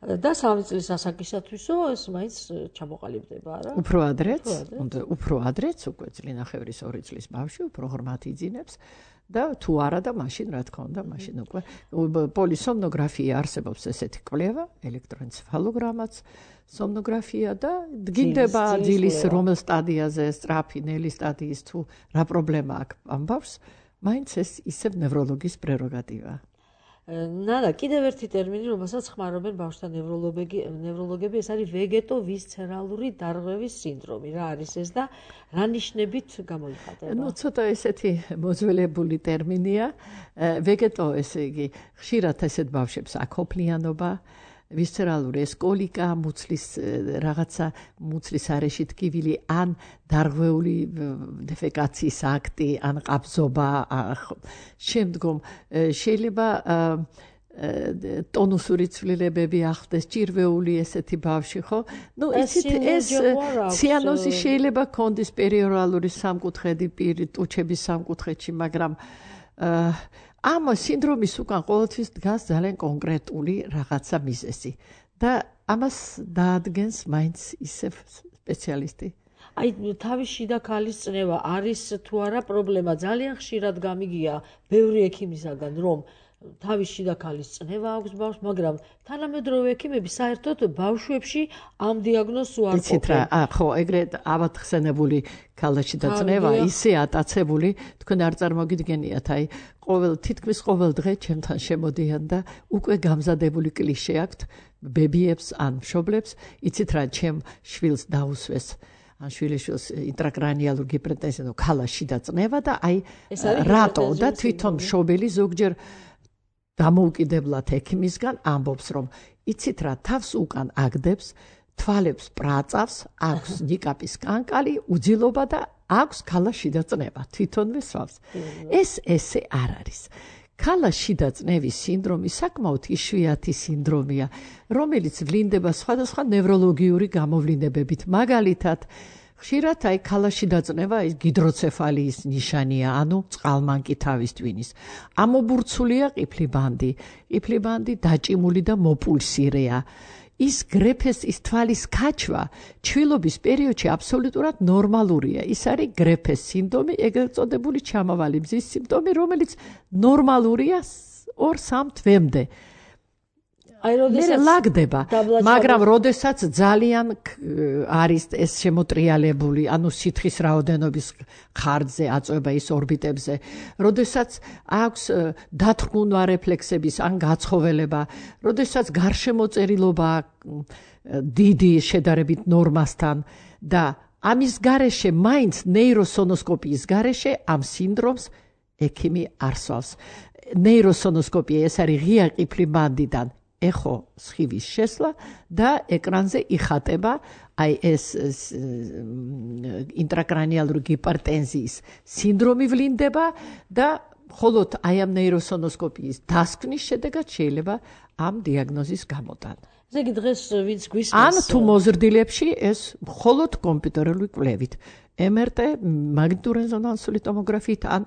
და სამი წლის ასაკისათვისო ეს მაინც ჩამოყალიბდება, არა? უფრო ადრეც, უნდა უფრო ადრეც, უკვე წლინახევრის ორი წლის ბავშვი უფრო ღრმად იძინებს და თუ არა და მაშინ რა თქმა უნდა, მაშინ უკვე პოლისომნოგრაფია არსებობს ესეთი კვლევა, ელექტროენცეფალოგრამაც, სომნოგრაფია და დგინდება ძილის რომელ სტადიაზე, სწრაფი, ნელი სტადიის თუ რა პრობლემა აქვს ამ ბავშვს, მაინც ეს ისევ ნევროლოგის პრეროგატივაა. ნანა, კიდევ ერთი ტერმინი, რომელსაც ხმარობენ ბავშვთა ნევროლოგები, ეს არის ვეგეტო-ვისცერალური დარღვევის სინდრომი. რა არის ეს და რა ნიშნებით გამოიხატება? ნუ ცოტა ესეთი მოძველებული ტერმინია. ვეგეტო, ესე იგი, ხშირად ესეთ ბავშვებს აკოფლიანობა, ვისცერალური ეს კოლიკა, მუცლის რაღაცა მუცლის არეში ტკივილი, ან დარღვეული დეფეკაციის აქტი, ან ყაბზობა, შემდგომ შეიძლება ტონუსური ცვლილებები ახლდეს, ჭირვეული ესეთი ბავშვი, ხო? ნუ იცით ეს ციანოზი შეიძლება კონდეს პერიორალური სამკუთხედი პირი, ტუჩების სამკუთხედში, მაგრამ ამ სინდრომის უკან ყოველთვის დგას ძალიან კონკრეტული რაღაცა მიზეზი და ამას დაადგენს მაინც ისევ სპეციალისტი. აი, თავის შიდა ქალის წნევა არის თუ არა პრობლემა, ძალიან ხშირად გამიგია ბევრი ექიმისაგან, რომ თავის შიდა ქალის წნევა აქვს ბავშვს, მაგრამ თანამედროვე ექიმები საერთოდ ბავშვებში ამ დიაგნოზს უარყოფენ. იცით რა, ხო, ეგრეთ ავათხსენებული ქალაშიდა წნევა, ისე ატაცებული, თქვენ არ წარმოგიდგენიათ, აი, ყოველ თითქმის ყოველ დღე ჩემთან შემოდიან და უკვე გამზადებული კლიშე აქვთ ბებიებს ან მშობლებს, იცით რა, ჩემ შვილს დაუსვეს ან შვილიშვილს ინტრაკრანიალურ ჰიპერტენზია, ქალაშიდა წნევა და აი რატო და თვითონ მშობელი ზოგჯერ დამოუკიდებლად ექიმისგან ამბობს, რომ იცით რა, თავს უკან აგდებს, თვალებს პრაწავს, აქვს ნიკაპის კანკალი, უძილობა და აქვს ქალაშიდა წნევა, თვითონვე სვავს. ეს ესე არ არის. ქალაშიდა წნევის სინდრომი საკმაოდ იშვიათი სინდრომია, რომელიც ვლინდება სხვადასხვა ნევროლოგიური გამოვლინებებით, მაგალითად, ხშირად აი ქალაში დაწყება ის გიდროცეფალიის ნიშანია, ანუ წყალმანკი თავის ტვინის. ამობურცულია ყიფლი ბანდი. ყიფლი ბანდი დაჭიმული და მოპულსირეა. ის გრეფეს ის თვალის ქაჩვა ჩვილობის პერიოდში აბსოლუტურად ნორმალურია. ის არის გრეფეს სინდრომი, ეგრეთ წოდებული ჩამავალი მზის სიმპტომი, რომელიც ნორმალურია ორ სამ თვემდე. აი როდესაც ლაგდება, მაგრამ როდესაც ძალიან არის ეს შემოტრიალებული, ანუ სითხის რაოდენობის ხარჯზე აწვება ის ორბიტებზე, როდესაც აქვს დათრგუნვა რეფლექსების ან გაცხოველება, როდესაც გარშემოწერილობა დიდი შედარებით ნორმასთან და ამის გარეშე მაინც ნეიროსონოსკოპიის გარეშე ამ სინდრომს ექიმი არსვავს. ნეიროსონოსკოპია ეს არის ღია ყიფლი ბანდიდან ეხო სხივის შესლა და ეკრანზე იხატება აი ეს ინტრაკრანიალური გიპერტენზიის სინდრომი ვლინდება და მხოლოდ აი ამ ნეიროსონოსკოპიის დასკვნის შედეგად შეიძლება ამ დიაგნოზის გამოტანა. ესე იგი დღეს ვინც გვისმენს ან თუ მოზრდილებში ეს მხოლოდ კომპიუტერული კვლევით ემ ერ ტე მაგნიტურეზონანსული ტომოგრაფიით ან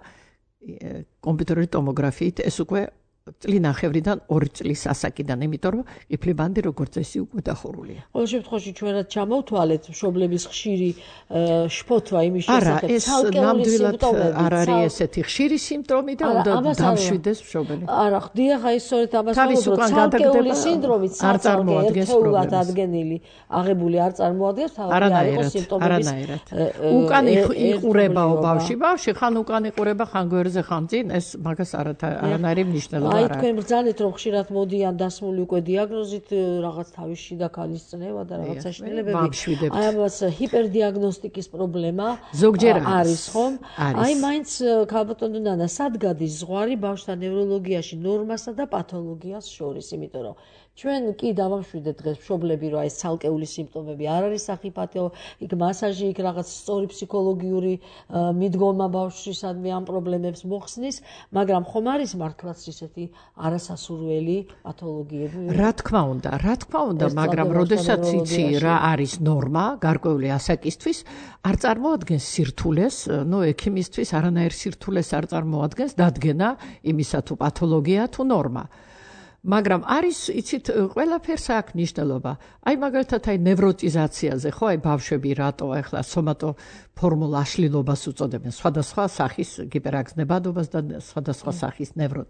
კომპიუტერული ტომოგრაფიით ეს უკვე წლინახევრიდან ორი წლის ასაკიდან, იმიტომ რომ ყიფლი ბანდი როგორც წესი უკვე დახურულია. ყოველ შემთხვევაში ჩვენად ჩამოვთვალეთ მშობლების ხშირი შფოთვა იმის არა, შესახებ, ეს ნამდვილად არ არის ესეთი ხშირი სიმპტომი და უნდა დამშვიდეს მშობელი. არა, ხდია ხა ის სწორედ ამას ვამბობ, ცალკეული სინდრომი არ წარმოადგენს ერთეულად ადგენილი, აღებული არ წარმოადგენს, თავი არ იყოს სიმპტომების. უკან იყურებაო ბავში, ბავში ხან უკან იყურება, ხან გვერდზე, ხან წინ, ეს მაგას არანაირი მნიშვნელობა აი თქვენ ბრძანეთ რომ ხშირად მოდიან დასმული უკვე დიაგნოზით რაღაც თავის შიდა ქალის წნევა და რაღაცა შინელებები. აი ამას ჰიპერდიაგნოსტიკის პრობლემა არის ხომ? აი მაინც ქალბატონო ნანა, სად გადის ზღვარი ბავშვთა ნევროლოგიაში ნორმასა და პათოლოგიას შორის, იმიტომ რომ ჩვენ კი დავამშვიდეთ დღეს მშობლები რომ აი ეს ცალკეული სიმპტომები არ არის სახიფათო, იქ მასაჟი, იქ რაღაც სწორი ფსიქოლოგიური მიდგომა ბავშვისადმი ამ პრობლემებს მოხსნის, მაგრამ ხომ არის მართლაც ისეთი არასასურველი პათოლოგიები? რა თქმა უნდა, რა თქმა უნდა, მაგრამ როდესაც იცი რა არის ნორმა გარკვეული ასაკისთვის, არ წარმოადგენს სირთულეს, ნუ ექიმისთვის არანაირ სირთულეს არ წარმოადგენს დადგენა იმისა თუ პათოლოგია თუ ნორმა. მაგრამ არის იცით ყველაფერს აქვს მნიშვნელობა. აი მაგალითად აი ნევროტიზაციაზე ხო აი ბავშვები რატო ახლა სომატო ფორმულ აშლილობას უწოდებენ სხვადასხვა სახის გიპერაგზნებადობას და სხვადასხვა სახის ნევროთ.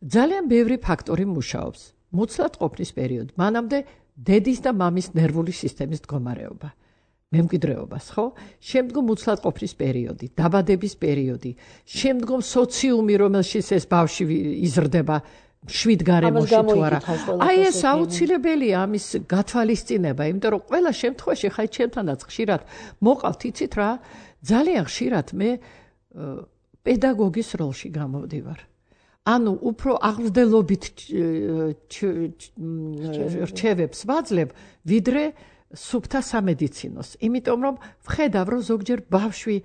ძალიან ბევრი ფაქტორი მუშაობს. მუცლად ყოფნის პერიოდი, მანამდე დედის და მამის ნერვული სისტემის მდგომარეობა. მემკვიდრეობას, ხო? შემდგომ მუცლად ყოფნის პერიოდი, დაბადების პერიოდი, შემდგომ სოციუმი, რომელშიც ეს ბავშვი იზრდება შვიდ გარემოში თუ არა. აი ეს აუცილებელია ამის გათვალისწინება, იმიტომ რომ ყველა შემთხვევაში ხაი ჩემთანაც ხშირად მოყავთ, იცით რა, ძალიან ხშირად მე პედაგოგის როლში გამოვდივარ. ანუ უფრო აღზრდელობით რჩევებს ვაძლევ, ვიდრე სუფთა სამედიცინოს. იმიტომ რომ ვხედავ, რომ ზოგჯერ ბავშვი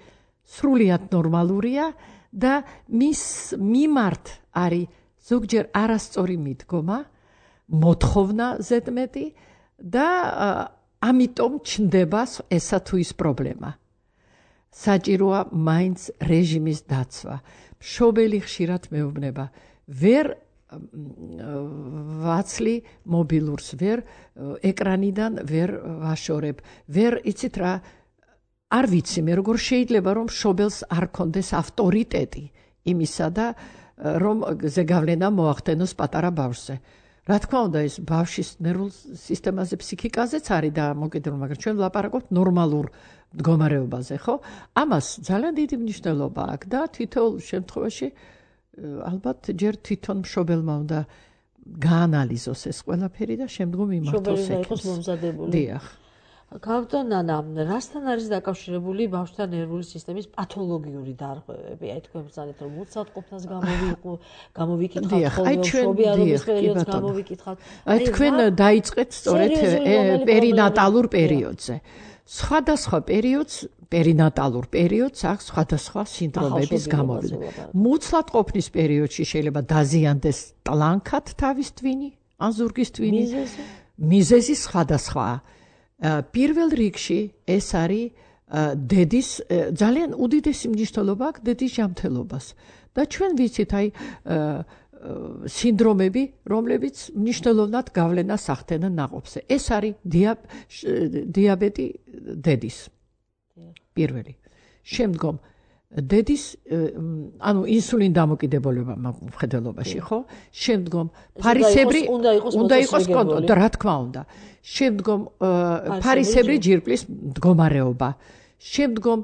სრულიად ნორმალურია და მის მიმართ არის ზოგჯერ არასწორი მიდგომა, მოთხოვნა ზედმეტი და ამიტომ ჩნდება ესა თუ ის პრობლემა. საჭიროა მაინც რეჟიმის დაცვა. მშობელი ხშირად მეუბნება, ვერ ვაცლი მობილურს, ვერ ეკრანიდან ვერ ვაშორებ, ვერ იცით რა, არ ვიცი მე როგორ შეიძლება რომ მშობელს არ კონდეს ავტორიტეტი იმისა და რომ ზეგავლენა მოახდენოს პატარა ბავშვზე. რა თქმა უნდა ეს ბავშვის ნერვულ სისტემაზე, ფსიქიკაზეც არის და მოკიდებული, მაგრამ ჩვენ ვლაპარაკობთ ნორმალურ მდგომარეობაზე, ხო? ამას ძალიან დიდი მნიშვნელობა აქვს და თითოეულ შემთხვევაში ალბათ ჯერ თვითონ მშობელმა უნდა გაანალიზოს ეს ყველაფერი და შემდგომ იმართოს ექიმს. მშობელი იყოს მომზადებული. დიახ. ქალბატონო, რასთან არის დაკავშირებული ბავშვთა ნერვული სისტემის პათოლოგიური დარღვევები? აი თქვენ ბრძანეთ რომ მუცლად ყოფნას გამოვიკითხავთ, ხოლმე მშობიარობის პერიოდს გამოვიკითხავთ. აი თქვენ დაიწყეთ სწორედ პერინატალურ პერიოდზე. სხვადასხვა პერიოდს, პერინატალურ პერიოდს აქვს სხვადასხვა სინდრომების გამოვიდა. მუცლად ყოფნის პერიოდში შეიძლება დაზიანდეს ტლანქად თავის ტვინი, ან ზურგის ტვინი. მიზეზი სხვადასხვაა. პირველ რიგში ეს არის დედის ძალიან უდიდესი მნიშვნელობა აქვს დედის ჯანმრთელობას და ჩვენ ვიცით აი სინდრომები, რომლებიც მნიშვნელოვნად გავლენას ახდენენ ნაყოფზე. ეს არის დიაბეტი დედის. პირველი. შემდგომ დედის ანუ ინსულინ დამოკიდებულება მხედველობაში, ხო? შემდგომ ფარისებრი უნდა იყოს კონტროლი, რა თქმა უნდა. შემდგომ ფარისებრი ჯირკვლის მდგომარეობა. შემდგომ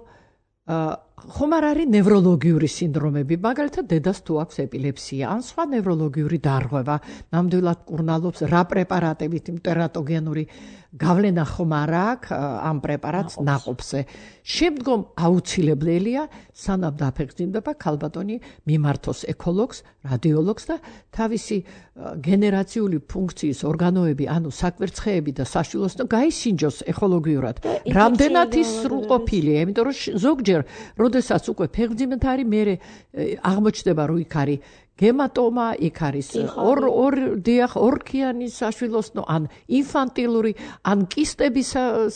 ხომ არ არის ნევროლოგიური სინდრომები, მაგალითად დედას თუ აქვს ეპილეფსია, ან სხვა ნევროლოგიური დარღვევა, ნამდვილად კურნალობს რა პრეპარატებით იმ ტერატოგენური გავლენა ხომ არ აქვს ამ პრეპარატს ნაყოფზე. შემდგომ აუცილებელია სანამ დაფეხმძიმდება ქალბატონი მიმართოს ეკოლოგს, რადიოლოგს და თავისი გენერაციული ფუნქციის ორგანოები, ანუ საკვერცხეები და საშვილოსნო გაისინჯოს ეკოლოგიურად. რამდენად ის სრულყოფილია, იმიტომ რომ ზოგჯერ როდესაც უკვე ფეხმძიმეთ არის, მე აღმოჩნდება რომ იქ არის გემატომა, იქ არის ორ ორ დიახ ორქიანი საშვილოსნო, ან ინფანტილური, ან კისტები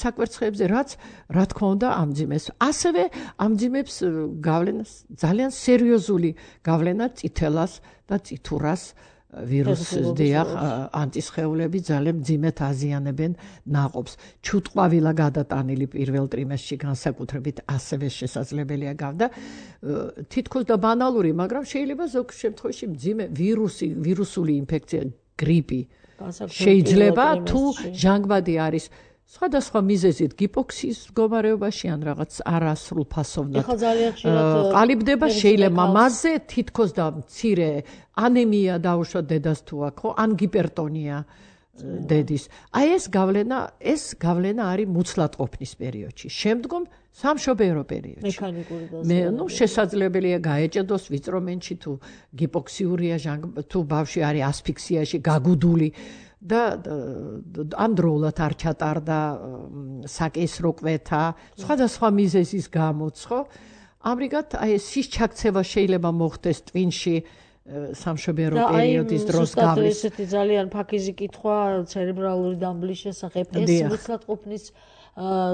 საკვერცხეებზე, რაც რა თქმა უნდა ამძიმეს. ასევე ამძიმებს გავლენას ძალიან სერიოზული გავლენა წითელას და წითურას ვირუსს დიახ ანტისხეულები ძალიან მძიმედ აზიანებენ ნაყოფს. ჩუტყვავილა გადატანილი პირველ ტრიმესტრში განსაკუთრებით ასევე შესაძლებელია გავდა თითქოს და ბანალური, მაგრამ შეიძლება ზოგ შემთხვევაში მძიმე ვირუსი, ვირუსული ინფექცია, გრიპი შეიძლება თუ ჟანგბადი არის სხვადასხვა მიზეზით გიპოქსიის მდგომარეობაში ან რაღაც არასრულფასოვნად ყალიბდება, შეიძლება მასზე თითქოს და მცირე ანემია დაუშვათ დედას თუ აქვს, ხო, ან გიპერტონია დედის. აი ეს გავლენა, ეს გავლენა არის მუცლად ყოფნის პერიოდში. შემდგომ სამშობიარო პერიოდში. მე ნუ შესაძლებელია გაეჭედოს ვიწრომენში თუ გიპოქსიურია, თუ ბავშვი არის ასფიქსიაში, გაგუდული და ანდროულად არ ჩატარდა საკისრო კვეთა, სხვადასხვა მიზეზის გამოც, ხო? ამრიგად აი ეს სისჩაქცევა შეიძლება მოხდეს ტვინში სამშობიარო პერიოდის დროს გავლის. და აი ესეთი ძალიან ფაქიზი კითხვა ცერებრალური დამბლის შესახებ, ეს მუცლად ყოფნის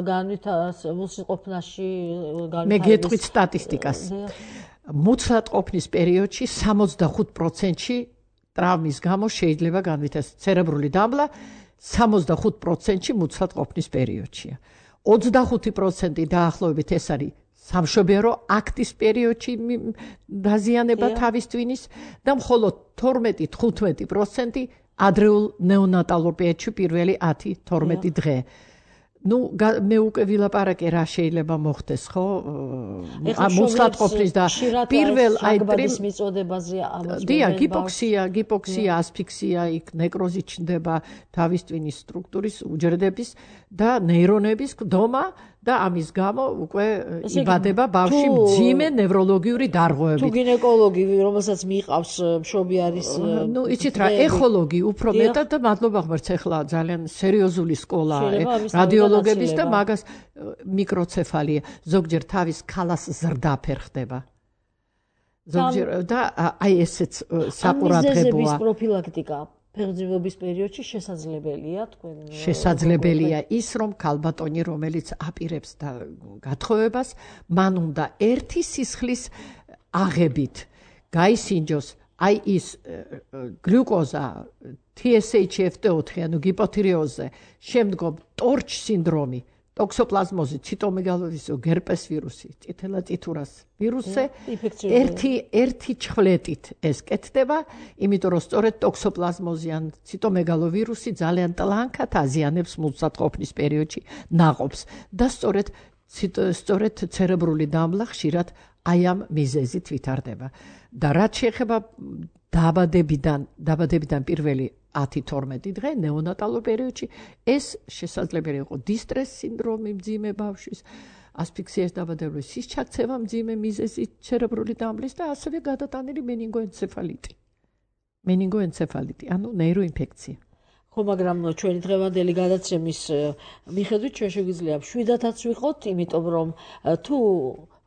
განვითარებას, მუცლად ყოფნაში განვითარებას. მე გეტყვით სტატისტიკას. მუცლად ყოფნის პერიოდში სამოცდახუთ პროცენტში ტრავმის გამო შეიძლება განვითარდეს ცერებრული დამბლა, სამოცდახუთ პროცენტში მუცლად ყოფნის პერიოდშია. ოცდახუთი პროცენტი დაახლოებით ეს არის სამშობიარო აქტის პერიოდში დაზიანება თავის ტვინის და მხოლოდ თორმეტი თხუთმეტი პროცენტი ადრეულ ნეონატალურ პერიოდში პირველი ათი თორმეტი დღე. ნუ მე უკვე ვილაპარაკე რა შეიძლება მოხდეს, ხო? მუცლად ყოფნის და პირველ აი ტრიმ მიწოდებაზე ამოწმებენ. დია, გიპოქსია, გიპოქსია, ასფიქსია, იქ ნეკროზი ჩნდება თავის ტვინის სტრუქტურის უჯრედების და ნეირონების გდომა და ამის გამო უკვე იბადება ბავშვი მძიმე ნევროლოგიური დარღვევებით. თუ გინეკოლოგი, რომელსაც მიყავს მშობი არის, ნუ იცით რა, ეხოლოგი უფრო მეტად და მადლობა ღმერთს, ახლა ძალიან სერიოზული სკოლაა რადიოლოგების და მაგას მიკროცეფალია. ზოგჯერ თავის ქალას ზრდაფერ ხდება. ზოგჯერ და აი ესეც საყურადღებოა. მიზეზების პროფილაქტიკა ფეხმძიმების პერიოდში შესაძლებელია, თქვენ შესაძლებელია ის, რომ ქალბატონი, რომელიც აპირებს და გათხოვებას, მან უნდა ერთი სისხლის აღებით გაისინჯოს აი ის გლუკოზა, თი ეს ეიჩ ეფ ტი ოთხი, ანუ გიპოთირეოზზე, შემდგომ ტორჩ სინდრომი, ტოქსოპლაზმოზი, ციტომეგალოვიზო, გერპეს ვირუსი, წითელა წითურას ვირუსზე ერთი ერთი ჩხვლეტით ეს კეთდება, იმიტომ რომ სწორედ ტოქსოპლაზმოზი ან ციტომეგალოვირუსი ძალიან ტლანქად აზიანებს მუცლად ყოფნის პერიოდში ნაყოფს და სწორედ სწორედ ცერებრული დამბლა ხშირად აი ამ მიზეზით ვითარდება. და რაც შეეხება დაბადებიდან, დაბადებიდან პირველი ათი თორმეტი დღე ნეონატალურ პერიოდში ეს შესაძლებელი იყო დისტრეს სინდრომი მძიმე ბავშვის, ასფიქსიის დაბადებული სისჩაქცევა მძიმე მიზეზით ცერებრული დამბლის და ასევე გადატანილი მენინგოენცეფალიტი. მენინგოენცეფალიტი, ანუ ნეიროინფექცია. ხო, მაგრამ ჩვენი დღევანდელი გადაცემის მიხედვით ჩვენ შეგვიძლია შვიდათაც ვიყოთ, იმიტომ რომ თუ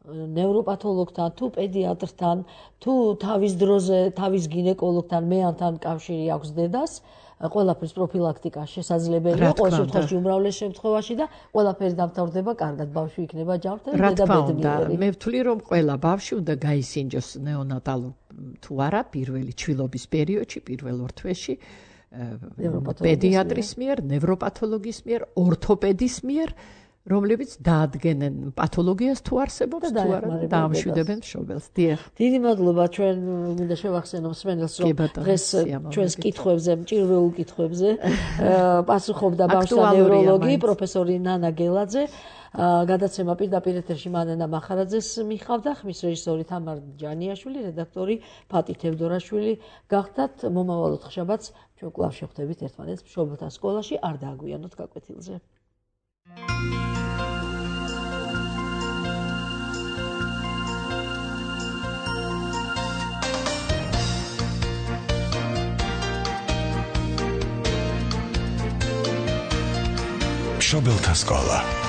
ნევროპათოლოგთან, თუ პედიატრთან, თუ თავის დროზე, თავის გინეკოლოგთან, მეანთან კავშირი აქვს დედას, ყველაფრის პროფილაქტიკა შესაძლებელია ყოველ შემთხვევაში უმრავლეს შემთხვევაში და ყველაფერი დამთავრდება კარგად ბავშვი იქნება ჯანმრთელი და ბედნიერი. მე ვთვლი რომ ყველა ბავშვი უნდა გაისინჯოს ნეონატალურ თუ არა პირველი ჩვილობის პერიოდში პირველ ორ თვეში პედიატრის მიერ, ნევროპათოლოგის მიერ, ორთოპედის მიერ რომლებიც დაადგენენ პათოლოგიას თუ არსებობს თუ არა დაამშვიდებენ მშობელს. დიახ. დიდი მადლობა ჩვენ მინდა შევახსენო მსმენელს რომ დღეს ჩვენს კითხვებზე, მჭირვეულ კითხვებზე პასუხობდა ბავშვთა ნევროლოგი პროფესორი ნანა გელაძე. გადაცემა პირდაპირ ეთერში მანენა მახარაძეს მიხავდა, ხმის რეჟისორი თამარ ჯანიაშვილი, რედაქტორი ფატი თევდორაშვილი. გახდათ მომავალ ოთხშაბათს ჩვენ კვლავ შევხვდებით ერთმანეთს მშობელთა სკოლაში, არ დააგვიანოთ გაკვეთილზე. მშობელთა სკოლა